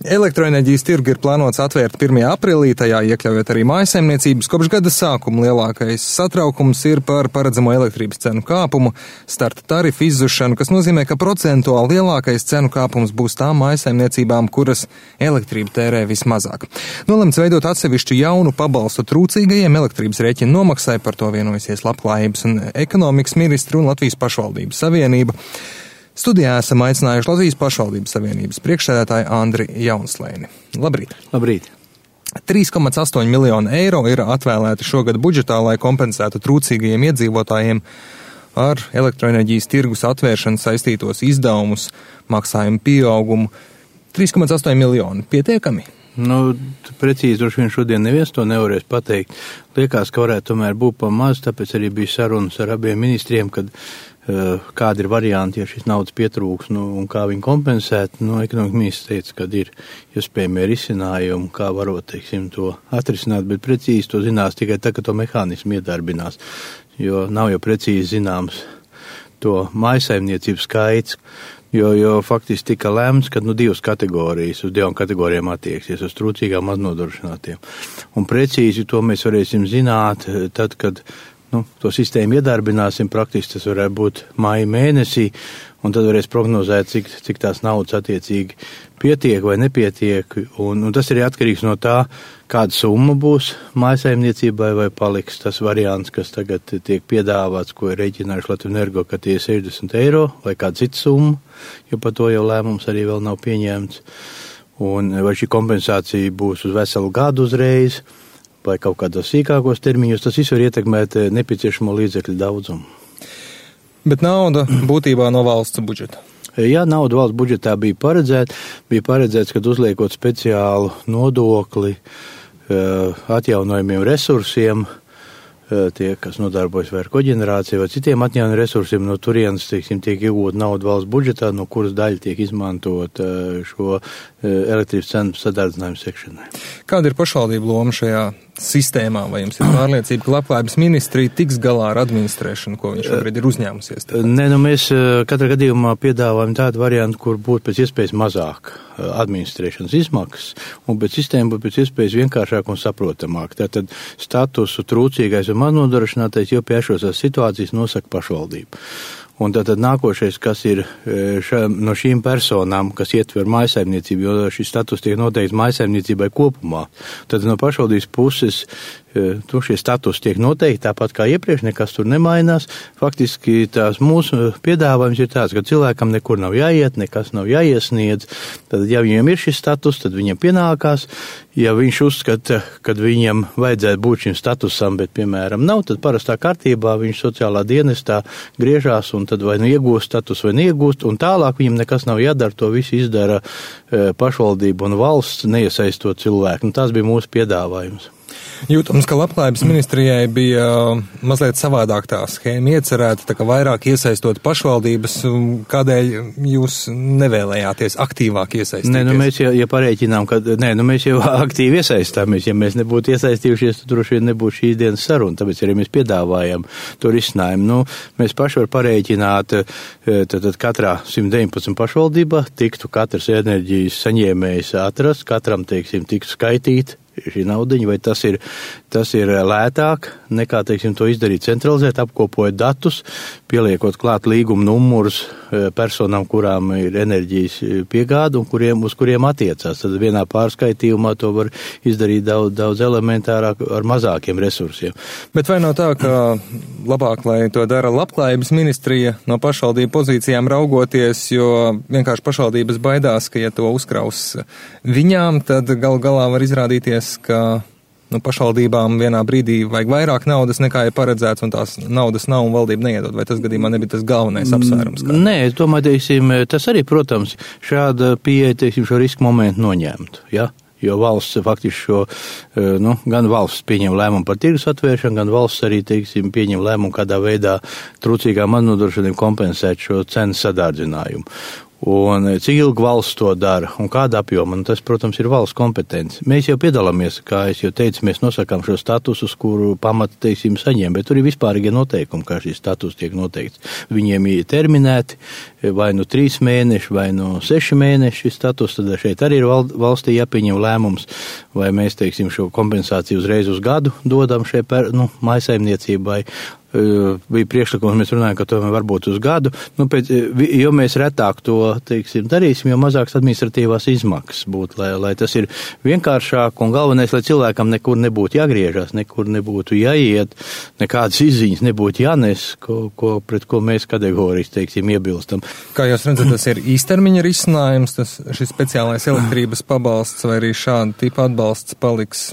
Elektroenerģijas tirgu ir plānots atvērt 1. aprīlī, tajā iekļaujot arī mājasaimniecības. Kopš gada sākuma lielākais satraukums ir par paredzamo elektrības cenu kāpumu, starta tarifu izzušanu, kas nozīmē, ka procentuāli lielākais cenu kāpums būs tām mājasaimniecībām, kuras elektrību tērē vismazāk. Nolemts veidot atsevišķu jaunu pabalstu trūcīgajiem elektrības rēķinu nomaksai, par to vienojusies Labklājības un ekonomikas ministri un Latvijas pašvaldības savienība. Studijā esam aicinājuši Latvijas pašvaldības savienības priekšsēdētāju Andri Jaunslēni. Labrīt! Labrīt! 3,8 miljonu eiro ir atvēlēti šogad budžetā, lai kompensētu trūcīgajiem iedzīvotājiem ar elektroenerģijas tirgus atvēršanu saistītos izdevumus, maksājumu pieaugumu. 3,8 miljoni pietiekami? Precīzi droši vien šodien neviens to nevarēs pateikt. Liekas, ka varētu tomēr būt pa maz, tāpēc arī bija sarunas ar abiem ministriem, kad kādi ir varianti, ja šis naudas pietrūks, un kā viņi kompensēt. Ekonomikas ministrs teica, ka ir iespējami risinājumi, kā varot, to atrisināt, bet precīzi to zinās tikai tā, ka to mehānismu iedarbinās, jo nav jau precīzi zināms to mājasaimniecību skaits, jo faktiski tika lemts, ka divas kategorijas, uz divām kategorijām attieksies, uz trūcīgām maznodrošinātiem. Un precīzi to mēs varēsim zināt tad, kad to sistēmu iedarbināsim, praktiski tas varētu būt maija mēnesī, un tad varēs prognozēt, cik tās naudas attiecīgi pietiek vai nepietiek, un tas ir atkarīgs no tā, kāda summa būs mājasaimniecībai vai paliks tas variants, kas tagad tiek piedāvāts, ko ir rēķinājuši Latvijas Energo, ka tie 60 eiro vai kāda cita summa, jo par to jau lēmums arī vēl nav pieņemts, un vai šī kompensācija būs uz veselu gadu uzreiz, vai kaut kādos sīkākos termiņos, tas viss var ietekmēt nepieciešamo līdzekļu daudzumu. Bet nauda būtībā no valsts budžeta? Jā, nauda valsts budžetā bija paredzēts, kad uzliekot speciālu nodokli atjaunojumiem resursiem, tie, kas nodarbojas vai ar koģenerāciju vai citiem atjaunojumiem resursiem, no turienes, tiek iegūta nauda valsts budžetā, no kuras daļa tiek izmantot šo elektrības cenu sadardzinājumu sekšanai. Kāda ir pašvaldību loma šajā sistēmā, vai jums ir pārliecība, ka Labklājības ministrija tiks galā ar administrēšanu, ko viņš šobrīd ir uzņēmusies? Mēs katrā gadījumā piedāvājam tādu variantu, kur būtu pēc iespējas mazāk administrēšanas izmaksas, un pēc sistēma būtu pēc iespējas vienkāršāk un saprotamāk. Tātad statusu trūcīgais un maznodrošinātais jau pie šos situācijas nosaka pašvaldība. Un tātad nākošais, kas ir no šīm personām, kas ietver mājasaimniecību, jo šis status tiek noteikts mājasaimniecībai kopumā. Tad no pašvaldības puses šie status tiek noteikti tāpat kā iepriekš, nekas tur nemainās. Faktiski tās mūsu piedāvājums ir tāds, ka cilvēkam nekur nav jāiet, nekas nav jāiesniedz. Tad, ja viņiem ir šis status, tad viņam pienākās. Ja viņš uzskata, ka viņam vajadzētu būt šim statusam, bet, piemēram, nav, tad parastā kārtībā viņš sociālā dienestā griežās un tad vai nu iegūst status vai neiegūst, un tālāk viņam nekas nav jādara, to visu izdara pašvaldība un valsts, neiesaistot cilvēku. Un tas bija mūsu piedāvājums. Jūtams, ka Labklājības ministrijai bija mazliet savādāk tā schēma iecerēta, tā kā vairāk iesaistot pašvaldības, kādēļ jūs nevēlējāties aktīvāk iesaistīties? Mēs ja parēķinām, ka mēs jau aktīvi iesaistāmies, ja mēs nebūtu iesaistījušies, tad droši vien nebūtu šīs dienas saruna, tāpēc arī mēs piedāvājam to risinājumu. Mēs paši var parēķināt, tad katrā 119 pašvaldībā tiktu katrs enerģijas saņēmējs atrast, katram, tiktu skaitīt šī naudiņa, vai tas ir lētāk nekā, to izdarīt centralizēt, apkopojot datus, pieliekot klāt līguma numurus personām, kurām ir enerģijas piegāda un uz kuriem attiecās. Tad vienā pārskaitījumā to var izdarīt daudz elementārāk ar mazākiem resursiem. Bet vai nav tā, ka labāk, lai to dara Labklājības ministrija no pašvaldību pozīcijām raugoties, jo vienkārši pašvaldības baidās, ka ja to uzkraus viņām, tad galā var izrādīties, ka pašvaldībām vienā brīdī vajag vairāk naudas nekā ir paredzēts, un tās naudas nav un valdība neiedod. Vai tas gadījumā nebija tas galvenais apsvērums? Nē, es domāju, tas arī, protams, šāda pieeja, šo risku momentu noņemt, ja? Jo valsts faktiski gan valsts pieņem lēmumu par tirgus atvēršanu, gan valsts arī, pieņem lēmumu, kādā veidā trūcīgām maznodrošinātiem kompensēt šo cenu sadārdzinājumu. Un cik ilgi valsts to dara un kāda apjoma, un tas, protams, ir valsts kompetence. Mēs jau piedalāmies, kā es jau teicu, mēs nosakām šo statusus, kuru pamata, teiksim, saņem, bet tur ir vispārīgie noteikumi, kā šis status tiek noteikts. Viņiem ir terminēti vai nu 3 mēneši, vai nu 6 mēneši šis status, tad šeit arī ir valstī jāpieņem lēmums, vai mēs, teiksim, šo kompensāciju uzreiz uz gadu dodam šai mājsaimniecībai. Bija priekšlikums, mēs runājam, ka tomēr varbūt uz gadu, jo mēs retāk to, teiksim, darīsim, jo mazāks administratīvās izmaksas būtu, lai tas ir vienkāršāk un galvenais, lai cilvēkam nekur nebūtu jāgriežas, nekur nebūtu jāiet, nekādas izziņas nebūtu jānes, pret ko mēs kategoriski, teiksim, iebilstam. Kā jūs redzat, tas ir īstermiņa risinājums, šis speciālais elektrības pabalsts vai arī šāda tipa atbalsts paliks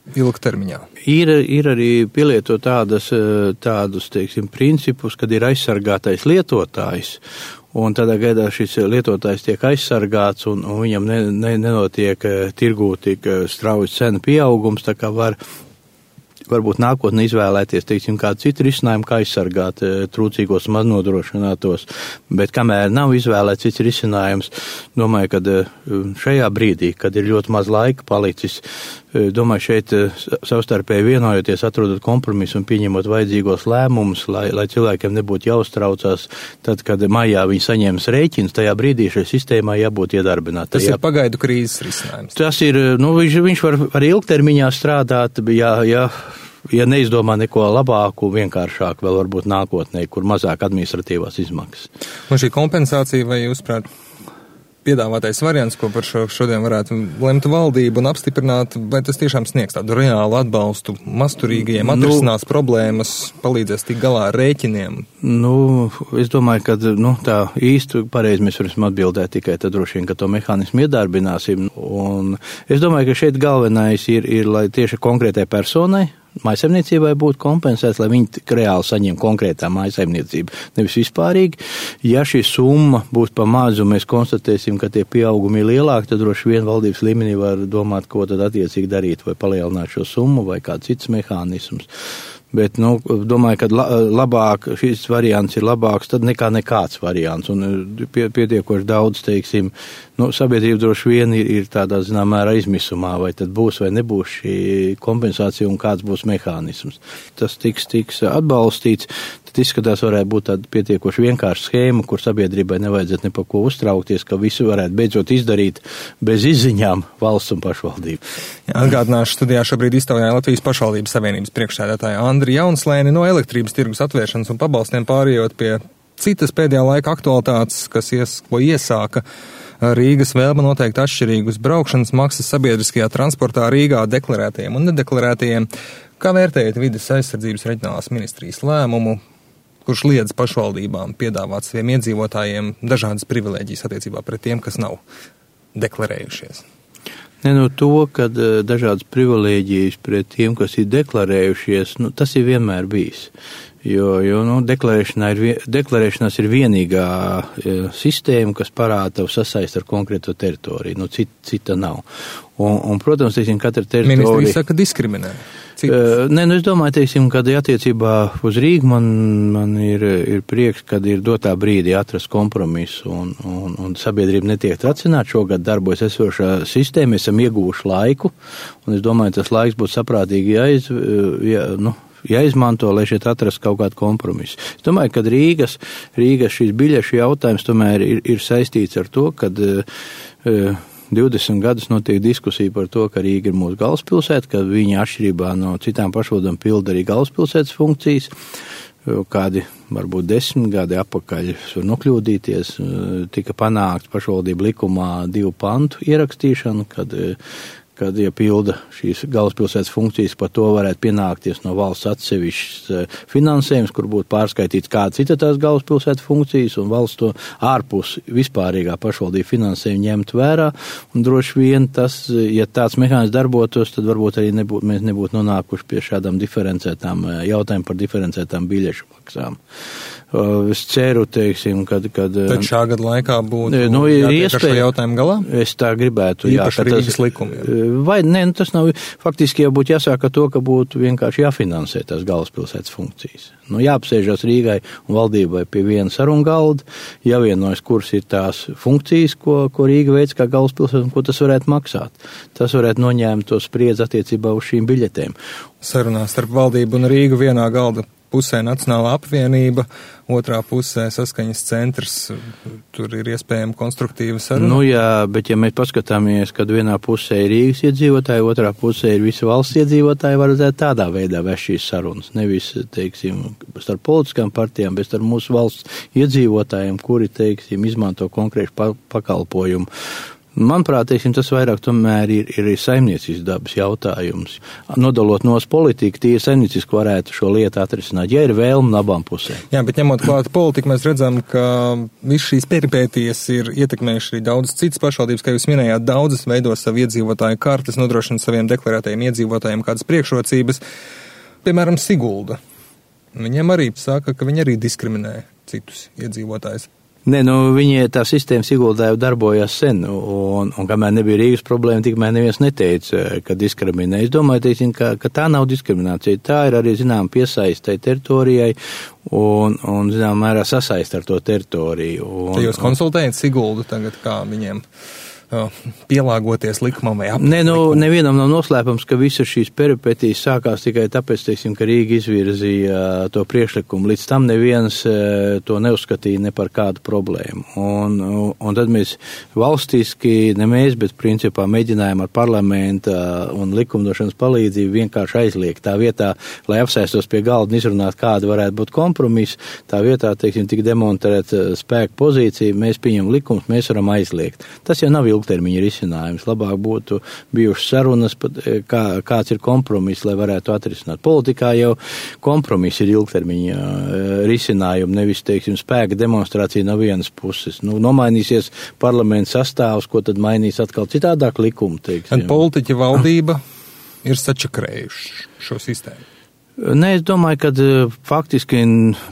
ilgtermiņā? Ir arī pielietot tādus, teiksim, principus, kad ir aizsargātais lietotājs, un tādā gaidā šis lietotājs tiek aizsargāts, un viņam nenotiek tirgū tik strauji cenu pieaugums, tā kā varbūt nākotnē izvēlēties, teiksim, kādu citu risinājumu, kā aizsargāt trūcīgos maznodrošinātos, bet kamēr nav izvēlēts cits risinājums, domāju, ka šajā brīdī, kad ir ļoti maz laika palicis, domāju, šeit savstarpēji vienojoties, atrodot kompromisu un pieņemot vajadzīgos lēmumus, lai cilvēkiem nebūtu jāuztraucās, tad, kad maijā viņi saņems rēķinus, tajā brīdī šai sistēmā jābūt iedarbinātai. Tas ir pagaidu krīzes risinājums. Tas ir, viņš var arī ilgtermiņā strādāt, ja neizdomā neko labāku, vienkāršāku, vēl varbūt nākotnē, kur mazāk administratīvās izmaksas. Un šī kompensācija, vai jūs prāt, piedāvātais variants, ko par šodien varētu lemt valdību un apstiprināt, vai tas tiešām sniegs tādu reālu atbalstu masturīgajiem, atrisinās problēmas, palīdzēs tik galā ar rēķiniem? Es domāju, ka tā īsti pareizi mēs varam atbildēt tikai tad droši vien, ka to mehānismu iedarbināsim. Un es domāju, ka šeit galvenais ir lai tieši konkrētai personai, mājsaimniecībai būtu kompensēts, lai viņi reāli saņem konkrētā mājsaimniecība, nevis vispārīgi. Ja šī summa būs pa mazu, mēs konstatēsim, ka tie pieaugumi ir lielāki, tad droši vien valdības līmenī var domāt, ko tad attiecīgi darīt, vai palielināt šo summu, vai kāds cits mehānisms. Bet, domāju, ka labāk, šis variants ir labāks tad nekā nekāds variants, un pietiekoši daudz, teiksim, sabiedrība droši vien ir tādā, mērā izmisumā, vai tad būs vai nebūs šī kompensācija un kāds būs mehānisms. Tas tiks atbalstīts, tad izskatās varētu būt tāda pietiekoši vienkārša schēma, kur sabiedrībai nevajadzētu ne par ko uztraukties, ka visu varētu beidzot izdarīt bez izziņām valsts un pašvaldību. Atgādināšu, studijā šobrīd iztaujāja Latvijas pašvaldības savienības priekšsēdētāja Andri Jaunslēni no elektrības tirgus atvēršanas un pabalstiem pārējot pie citas pēdējā laika aktualitātes, ko iesāka Rīgas vēlme noteikt atšķirīgus braukšanas maksas sabiedriskajā transportā Rīgā deklarētajiem un nedeklarētajiem. Kā vērtējat vides aizsardzības reģionālās ministrijas lēmumu, kurš liedz pašvaldībām piedāvāt saviem iedzīvotājiem dažādas privilēģijas attiecībā pret tiem, kas nav deklarējušies? To, ka dažādas privilēģijas pret tiem, kas ir deklarējušies, tas ir vienmēr bijis. Jo deklarēšanās ir vienīgā sistēma, kas parāda tavu sasaist ar konkrēto teritoriju. Cita nav. Un protams, teiksim, katra teritorija... Ministrija saka diskriminē. Es domāju, teiksim, kad attiecībā uz Rīgu man ir prieks, kad ir dotā brīdī atrast kompromisu un sabiedrība netiek tracināt. Šogad darbojas esošā sistēma, esam ieguvuši laiku, un es domāju, tas laiks būtu saprātīgi jāizmanto, lai šeit atrast kaut kādu kompromisu. Es domāju, ka Rīgas šīs biļešu jautājums tomēr ir saistīts ar to, kad 20 gadus notiek diskusija par to, ka Rīga ir mūsu galvaspilsēta, ka viņa atšķirībā no citām pašvaldībām pilda arī galvaspilsētas funkcijas. Kādi varbūt 10 gadi apakaļ var nokļūdīties, tika panākts pašvaldību likumā 2 pantu ierakstīšanu, kad ja pilda šīs galvaspilsētas funkcijas, par to varētu pienākties no valsts atsevišķs finansējums, kur būtu pārskaitīts kāda cita tās galvaspilsētas funkcijas, un valsts to ārpus vispārīgā pašvaldību finansējumu ņemt vērā, un droši vien tas, ja tāds mehānisms darbotos, tad varbūt arī mēs nebūtu nonākuši pie šādām diferencētām jautājumiem par diferencētām biļešu maksām. Es ceru, teiksim, kad tad šā gada laikā būtu jātiek ar šo jautājumu galā? Es tā gribētu, īpaši Rīgas likumi. vai ne, tas nav, faktiski jau būtu jāsāk ar to, ka būtu vienkārši jāfinansē tās galvaspilsētas funkcijas. Jāapsēžās Rīgai un valdībai pie viena sarunu galda, jāvienojas, kuras ir tās funkcijas, ko Rīga veic kā galvaspilsēta un ko tas varētu maksāt. Tas varētu noņēmt to spriedzi attiecībā uz šīm biļetēm. Sarunās starp valdību un Rīgu vienā galda pusē Nacionālā apvienība, otrā pusē saskaņas centrs, tur ir iespējama konstruktīva saruna. Jā, bet ja mēs paskatāmies, kad vienā pusē ir Rīgas iedzīvotāji, otrā pusē ir visi valsts iedzīvotāji, varētu tādā veidā vest šīs sarunas. Nevis, teiksim, starp politiskām partijām, bet starp mūsu valsts iedzīvotājiem, kuri, teiksim, izmanto konkrētu pakalpojumu. Manuprāt, tas vairāk tomēr ir saimniecisks dabas jautājums. Nodalot nos politiku, tie saimnieciski varētu šo lietu atrisināt, ja ir vēlme no abām pusēm. Jā, bet ņemot klāt politiku, mēs redzam, ka viss šīs peripētijas ir ietekmējuši arī daudzas citas pašvaldības, kā jūs minējāt, daudzas veido savu iedzīvotāju kartes, nodrošina saviem deklarētajiem iedzīvotājiem kādas priekšrocības. Piemēram, Sigulda. Viņiem arī saka, ka viņi arī diskriminē citus iedzīvotājus. Nē, viņi tā sistēma Siguldā jau darbojās sen, un kamēr nebija Rīgas problēma, tikmēr neviens neteica, ka diskriminē. Es domāju, ka tā nav diskriminācija, tā ir arī, piesaistē teritorijai un mērā sasaist ar to teritoriju. Te jūs konsultējat Siguldu tagad, kā viņiem pielāgoties likumam vai aplikam? Nevienam nav noslēpums, ka visas šīs peripetijas sākās tikai tāpēc, ka Rīga izvirzīja to priekšlikumu. Līdz tam neviens to neuzskatīja ne par kādu problēmu. Un tad mēs valstiski, ne mēs, bet principā mēģinājām ar parlamenta un likumdošanas palīdzību vienkārši aizliegt. Tā vietā, lai apsēstos pie galda un izrunāt, kāda varētu būt kompromiss, tā vietā, tik demonstrēt spēku pozīciju, mēs pieņem likumus, mēs varam aizliegt. Tas jau nav ilgtermiņa risinājums. Labāk būtu bijušas sarunas, kāds ir kompromiss, lai varētu atrisināt. Politikā jau kompromiss ir ilgtermiņa risinājumi, nevis, spēka demonstrācija no vienas puses. Nomainīsies parlaments sastāvs, ko tad mainīs atkal citādāk likumu, Politiķi valdība ir sačakrējuši šo sistēmu. Nē, es domāju, ka faktiski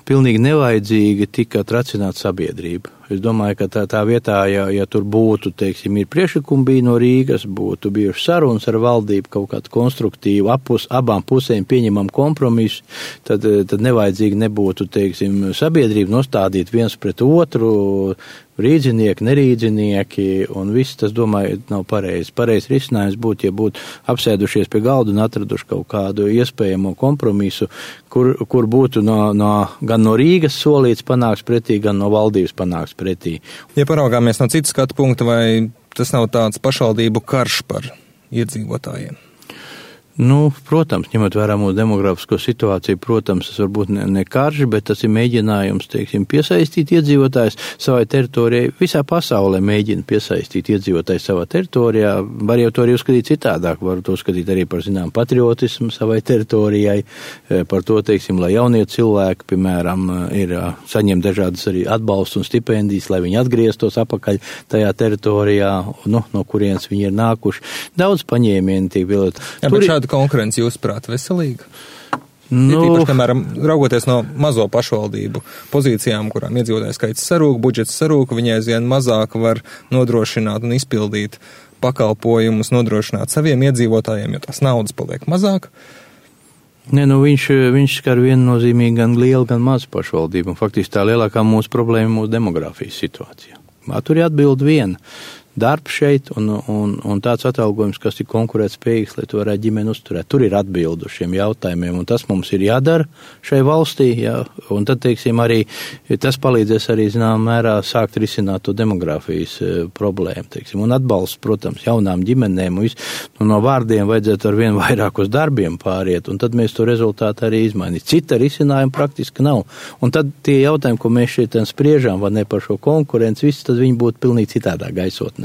pilnīgi nevajadzīgi tika tracināta sabiedrība. Es domāju, ka tā vietā, ja tur būtu, ir priekšlikumi bija no Rīgas, būtu bijuši sarunas ar valdību, kaut kādu konstruktīvu, abām pusēm pieņemam kompromisu, tad nevajadzīgi nebūtu, sabiedrību nostādīt viens pret otru, rīdzinieki, nerīdzinieki, un viss tas, domāju, nav pareizi. Pareizi risinājums būtu, ja būtu apsēdušies pie galda un atraduši kaut kādu iespējamo kompromisu, kur būtu gan no Rīgas solīts panāks pretī, gan no valdības panāks pretī. Ja paraugāmies no citas skatu punkta, vai tas nav tāds pašvaldību karš par iedzīvotājiem? Protams, ņemot vērā mūsu demografisko situāciju, protams, tas varbūt ne karš, bet tas ir mēģinājums, piesaistīt iedzīvotājus savai teritorijai. Visā pasaulē mēģina piesaistīt iedzīvotājus savā teritorijā. Var jau to arī uzskatīt citādāk, var to uzskatīt arī par, patriotismu savai teritorijai, par to, lai jaunie cilvēki, piemēram, saņem dažādas arī atbalstu un stipendijas, lai viņi atgrieztos apakaļ tajā teritorijā, no kurienes viņi ir nākuši. Daudz paņēmieni tiek vilot. Konkurence jūsuprāt veselīga? Tīpaši, piemēram, raugoties no mazo pašvaldību pozīcijām, kurām iedzīvotāju skaits sarūk, budžets sarūk, viņi aizvien mazāk var nodrošināt un izpildīt pakalpojumus, nodrošināt saviem iedzīvotājiem, jo tās naudas paliek mazāk. Viņš skar viennozīmīgi gan lielu, gan mazu pašvaldību, un faktiski tā lielākā mūsu problēma ir mūsu demografijas situācija. Tur ir atbildi viena. Darbs šeit un tāds atalgojums, kas ir konkurētspējīgs, lai to varētu ģimeni uzturēt. Tur ir atbildu šiem jautājumiem, un tas mums ir jādara šai valstī, un tad, arī tas palīdzēs arī, mērā sākt risināt to demografijas problēmu, un atbalsts, protams, jaunām ģimenēm, no vārdiem vajadzētu ar vien vairāk uz darbiem pāriet, un tad mēs to rezultātu arī izmainīt. Cita risinājuma praktiski nav, un tad tie jautājumi, ko mēs šeit spriežām, vai ne par šo konkurenci, viss tad viņi būtu pilnīgi citādā gaisotnē.